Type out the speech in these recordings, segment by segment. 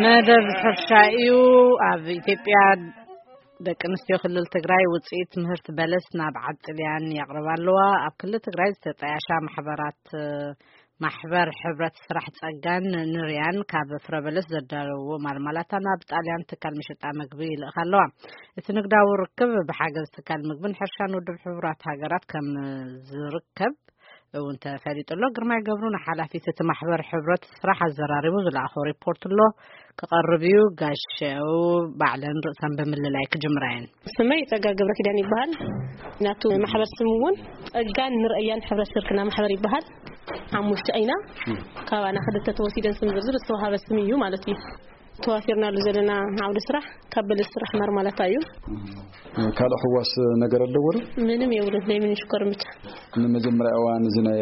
መደብ ሕርሻ እዩ። ኣብ ኢትዮጵያ ደቂ ኣንስትዮ ክልል ትግራይ ውፅኢት ምህርቲ በለስ ናብ ዓዲ ጥልያን የቕርባ ኣለዋ። ኣብ ክልል ትግራይ ዝተጣያሻ ማሕበራት፣ ማሕበር ሕብረት ስራሕ ጸጋን ንርያን ካብ ፍረ በለስ ዘዳለዎ ማርማላታ ናብ ጣልያን ትካል መሸጣ መግቢ ይልእኻ ኣለዋ። እቲ ንግዳዊ ርክብ ብሓገዝ ትካል ምግብን ሕርሻን ውድብ ሕቡራት ሃገራት ከም ዝርከብ እውን ተፈሊጡ ኣሎ። ግርማይ ገብሩ ንሓላፊት እቲ ማሕበር ሕብረት ስራሕ ኣዘራሪቡ ዝለኣኾ ሪፖርት ኣሎ፣ ክቐርብ እዩ። ጋሸው ባዕለን ርእሰን ብምልላይ ክጅምራ እየን። ስመይ ጸጋ ገብረ ኪዳን ይበሃል። ናቱ ማሕበር ስም እውን ጸጋን ንርእያን ሕብረት ሽርክና ማሕበር ይበሃል። ሓሙሽተ ኢና። ካባና ክልተ ተወሲደን ስም ዝርዝር ዝተዋሃበ ስም እዩ ማለት እዩ። ተዋፊርናሉ ዘለና ዓውዲ ስራሕ ካብ በለስ ስራሕ ማርማላታ እዩ። ካልእ ሕዋስ ነገር ኣለዎ ዶ? ምንም የብሉን። ናይ ምንሽኮር ብቻ። ንመጀመርያ እዋን እዚ ናይ፣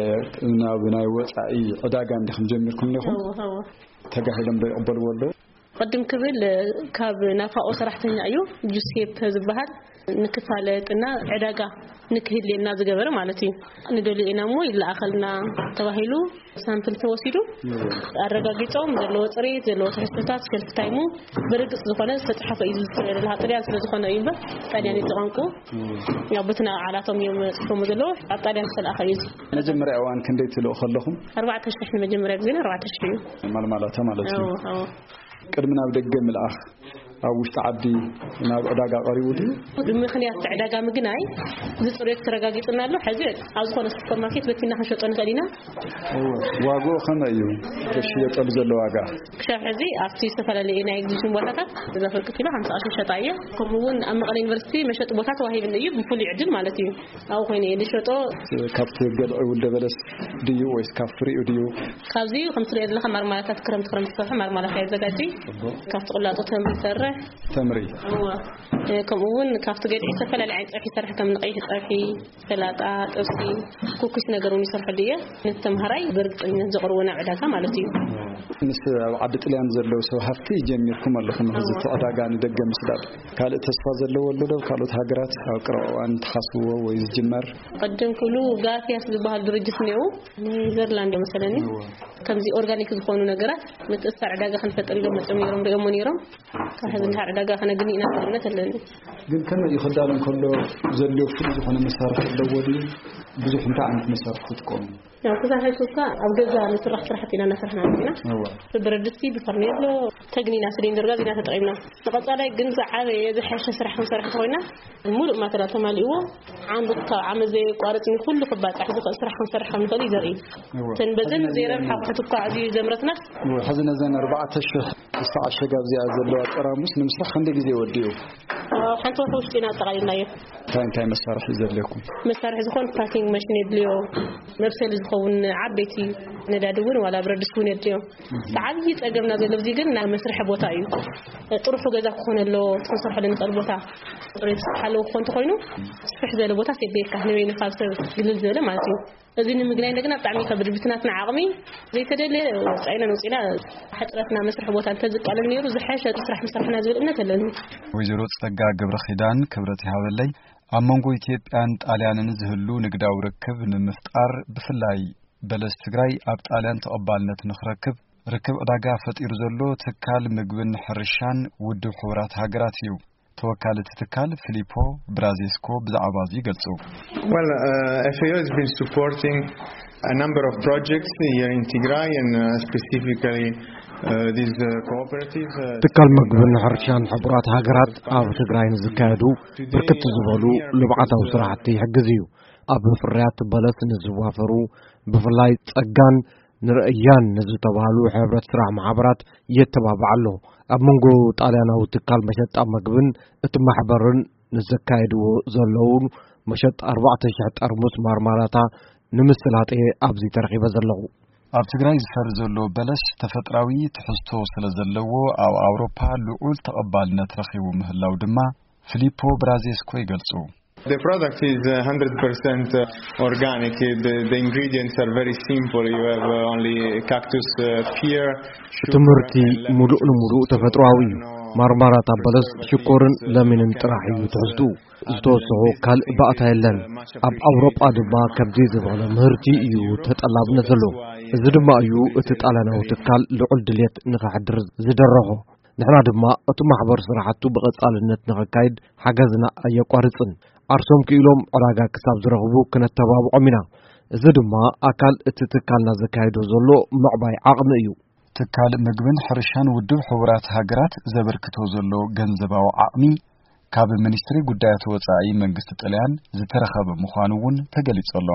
ናብ ናይ ወጻኢ ዕዳጋ እንዲኹም ጀሚርኩም እንዲኹም? እዎ፣ እዎ። ተጋሂሎም ዶ ይቕበልዎ ኣለዉ? ቅድም ክብል ካብ ናፋኦ ሰራሕተኛ እዩ፣ ጁሴፕ ዝበሃል፣ ንክፋለጥና ዕዳጋ ንክህልየና ዝገበረ ማለት እዩ። ንደልዮ ኢና እሞ ይለኣኸልና ተባሂሉ ሳምፕል ተወሲዱ፣ ኣረጋጊጾም ዘለዎ ጽሬት፣ ዘለዎ ትሕዝቶታት፣ ሸልፍ ታይሙ ብርግጽ ዝኾነ ዝተጻሕፈ እዩ። ዝለሃ ጥልያን ስለ ዝኾነ እዩ እምበር፣ ጣልያን እዩ ቋንቁ። ያው በትና ዓላቶም እዮም ጽፎም ዘለዉ፣ ኣብ ጣልያን ዝተለኣኸ እዩ። መጀመርያ እዋን ክንደይ ትልእኹ ኣለኹም? ኣርባዕተ ሽሕ ንመጀመርያ ግዜና ኣርባዕተ ሽሕ እዩ። ማልማላታ ማለት እዩ። እዎ፣ እዎ። ቅድሚ ናብ ደገ ምልኣኽ ኣብ ውሽጢ ዓዲ ናብ ዕዳጋ ቀሪቡ ድዩ? ብምኽንያት ዕዳጋ ምግናይ ዝፅሬት ተረጋጊፅና ኣሎ። ሕዚ ኣብ ዝኾነ ሱፐርማርኬት በቲና ክንሸጦ ንኽእል ኢና። እወ፣ ዋግኡ ከመይ እዩ? ዝሽየጠሉ ዘሎ ዋጋ? ክሻብ ሕዚ ኣብቲ ዝተፈላለዩ ናይ ኤግዚቢሽን ቦታታት እዛ ፍርቂ ኪሎ ሓምሳ ቅርሺ ይሸጣ እየ። ከምኡ እውን ኣብ መቐለ ዩኒቨርሲቲ መሸጢ ቦታ ተዋሂብኒ እዩ፣ ብፍሉይ ዕድል ማለት እዩ። ኣብኡ ኮይነ እየ ዝሸጦ። ካብቲ ገልዒ ውልደ በለስ ድዩ ወይስ ካብ ፍሪኡ ድዩ? ካብዚ ከምቲ ትሪኦ ዘለኻ ማርማላታት ክረምቲ ክረምቲ ዝሰርሑ ማርማላታ የዘጋጂ። ጽቡቕ። ካብቲ ቁላጡ ተምሪ ይሰርሕ። ተምሪ። እወ። እ፣ ከምኡ እውን ካብቲ ገልዒ ዝተፈላለዩ ዓይነት ፀብሒ ይሰርሕ፣ ከም ንቀይሕ ፀብሒ፣ ሰላጣ፣ ጥብሲ፣ ኩኪስ ነገር እውን ይሰርሐሉ እየ። ነቲ ተምሃራይ ብርግፀኝነት ዘቕርቦ ናብ ዕዳጋ ማለት እዩ። ምስ ኣብ ዓዲ ጥልያን ዘለዉ ሰብ ሃፍቲ ጀሚርኩም ኣለኹም፣ እዚ እወ። እቲ ዕዳጋ ንደገ ምስዳድ። ካልእ ተስፋ ዘለዎ ኣሎ ዶ? ካልኦት ሃገራት ኣብ ቀረባ እዋን ትሓስብዎ ወይ ዝጅመር? ቅድም ክብሉ ጋፊያስ ዝበሃል ድርጅት እኒአው፣ ኔዘርላንድ መሰለኒ። እወ። ከምዚ ኦርጋኒክ ዝኾኑ ነገራት ምትእስሳር ዕዳጋ ክንፈጥር ኢሎም መፅኦም ነይሮም፣ ሪኦሞ ነይሮም። ካብ ሕዚ ንድሓር ዕዳጋ ከነግኒ ኢና ዝብል እምነት ኣለኒ። ግን ከመይ እዩ ክዳሎ እንከሎ ዘድልዮ ፍሉይ ዝኾነ መሳርሒ ኣለዎ ድዩ? ብዙሕ እንታይ ዓይነት መሳርሒ ትጥቀሙ? ያው ክሳብ ሕጂ እኳ ኣብ ገዛ ንስራሕ ስራሕቲ ኢና እናሰራሕና ኢና። እወ። ብብረድስቲ፣ ብፈርኔሎ፣ ተግኒና፣ ስሊንደር ጋዝ ኢና ተጠቒምና። ንቐጻላይ ግን ዝዓበየ ዝሐሸ ስራሕ ክንሰርሕ እንተኾይና ሙሉእ ማተሪያል ተማሊእዎ ዓንዱ ካብ ዓመት ዘየቋርጽ ንኹሉ ክባጻሕ ዝኽእል ስራሕ ክንሰርሕ ከም ንኽእል እዩ ዘርኢ። እወ። እተን በዘን ሕዚ ዘይረብሓ ኣቑሑት እኳ ኣዝዩ ዘምረትናስ። እወ፣ ሕዚ ነዘን ኣርባዕተ ሽሕ ዝተዓሸጋ ኣብዚኣ ዘለዋ ጠራሙስ ንምስራሕ ክንደይ ግዜ ወዲኡ? ኣብ ሓንቲ ወርሒ ውሽጢ ኢና ኣጠቓሊልናዮ። እንታይ እንታይ መሳርሒ ዘድልየኩም? መሳርሒ ዝኾን ፓኪንግ ማሽን የድልዮ፣ መብሰሊ ዝኸውን ዓበይቲ ነዳዲ እውን ዋላ ብረድስቲ እውን የድልዮ። እቲ ዓብዪ ጸገምና ዘሎ እዚ ግን ናይ መስርሒ ቦታ እዩ። ጥርሑ ገዛ ክኾን ኣለዎ፣ እቲ ክንሰርሐሉ ንኽእል ቦታ። ጽሬቱ ዝተሓለወ ክኾን እንተኾይኑ፣ ስፍሕ ዝበለ ቦታ የድልየካ፣ ንበይንኻ ኣብ ሰብ ግልል ዝበለ ማለት እዩ። እዚ ንምግናይ እንደገና ብጣዕሚ ይኸብድ። ብቲ ናትና ዓቕሚ ዘይተደለየ ወጻኢና ነውጺና፣ ሕጽረትና መስርሒ ቦታ እንተዝቃለል ነይሩ ዝሐሸ ስራሕ ምሰራሕና ዝብል እምነት ኣለኒ። ወይዘሮ ጸጋ ገብረ ኪዳን ክብረት ይሃበለይ፣ ኣብ መንጎ ኢትዮጵያን ጣልያንን ዝህሉ ንግዳዊ ርክብ ንምፍጣር፣ ብፍላይ በለስ ትግራይ ኣብ ጣልያን ተቐባልነት ንኽረክብ ርክብ ዕዳጋ ፈጢሩ ዘሎ ትካል ምግብን ሕርሻን ውድብ ሕቡራት ሃገራት እዩ። ተወካሊ እቲ ትካል ፊሊፖ ብራዜስኮ ብዛዕባ እዚ ይገልጹ። Well, uh, F A O has been supporting a number of projects here in Tigray and, uh, specifically, uh, this, uh, cooperative, uh, ትካል ምግብን ሕርሻን ሕቡራት ሃገራት ኣብ ትግራይ ንዝካየዱ ብርክት ዝበሉ ልምዓታዊ ስራሕቲ ይሕግዝ እዩ። ኣብ ፍርያት በለስ ንዝዋፈሩ ብፍላይ ጸጋን ንርእያን ንዝተባህሉ ሕብረት ስራሕ ማሕበራት የተባብዕ ኣሎ። ኣብ መንጎ ጣልያናዊ ትካል መሸጣ መግብን እቲ ማሕበርን ንዘካየድዎ ዘለዉ መሸጣ ኣርባዕተ ሽሕ ጠርሙስ ማርማላታ ንምስላጥ እየ ኣብዚ ተረኺበ ዘለኹ። ኣብ ትግራይ ዝፈሪ ዘሎ በለስ ተፈጥራዊ ትሕዝቶ ስለ ዘለዎ፣ ኣብ ኣውሮፓ ልዑል ተቐባልነት ረኺቡ ምህላው ድማ ፊሊፖ ብራዜስኮ ይገልጹ። The product is, uh, hundred percent organic. The, the ingredients are very simple. You have, uh, only cactus, uh, pear, እቲ ምህርቲ ሙሉእ ንሙሉእ ተፈጥሮኣዊ እዩ። ማርማራታ በለስ ሽኮርን ለሚንን ጥራሕ እዩ ትሕዝቱ። ዝተወሰኹ ካልእ ባእታ የለን። ኣብ ኣውሮጳ ድማ ከምዚ ዝበለ ምህርቲ እዩ ተጠላብነት ዘሎ። እዚ ድማ እዩ እቲ ጣልያናዊ ትካል ልዑል ድልየት ንኸሕድር ዝደረኾ። ንሕና ድማ እቲ ማሕበር ስራሕቱ ብቐጻልነት ንኸካይድ ሓገዝና ኣየቋርጽን። ዓርሶም ክኢሎም ዕዳጋ ክሳብ ዝረኽቡ ክነተባብዖም ኢና። እዚ ድማ ኣካል እቲ ትካልና ዘካይዶ ዘሎ ምዕባይ ዓቕሚ እዩ። ትካል ምግብን ሕርሻን ውድብ ሕቡራት ሃገራት ዘበርክቶ ዘሎ ገንዘባዊ ዓቕሚ ካብ ሚኒስትሪ ጉዳያት ወጻኢ መንግስቲ ጥልያን ዝተረኸበ ምዃኑ እውን ተገሊጹ ኣሎ።